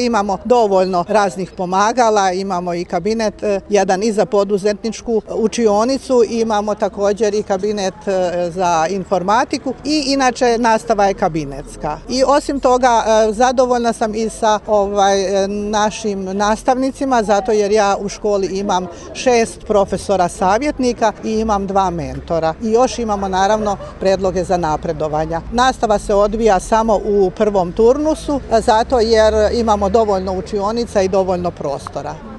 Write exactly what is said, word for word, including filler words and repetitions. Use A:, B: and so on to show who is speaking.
A: imamo dovoljno raznih pomagala, imamo i kabinet, jedan i za poduzetničku učionicu, imamo također i kabinet za informatiku i inače nastava je kabinetska. I osim toga zadovoljna sam i sa ovaj, našim nastavnicima, zato jer ja u školi imam šest profesora savjetnika i imam dva mentora. I još imamo naravno predloge za napredovanja. Nastava se odvija samo u prvom turnusu, zato jer imamo dovoljno učionica i dovoljno prostora.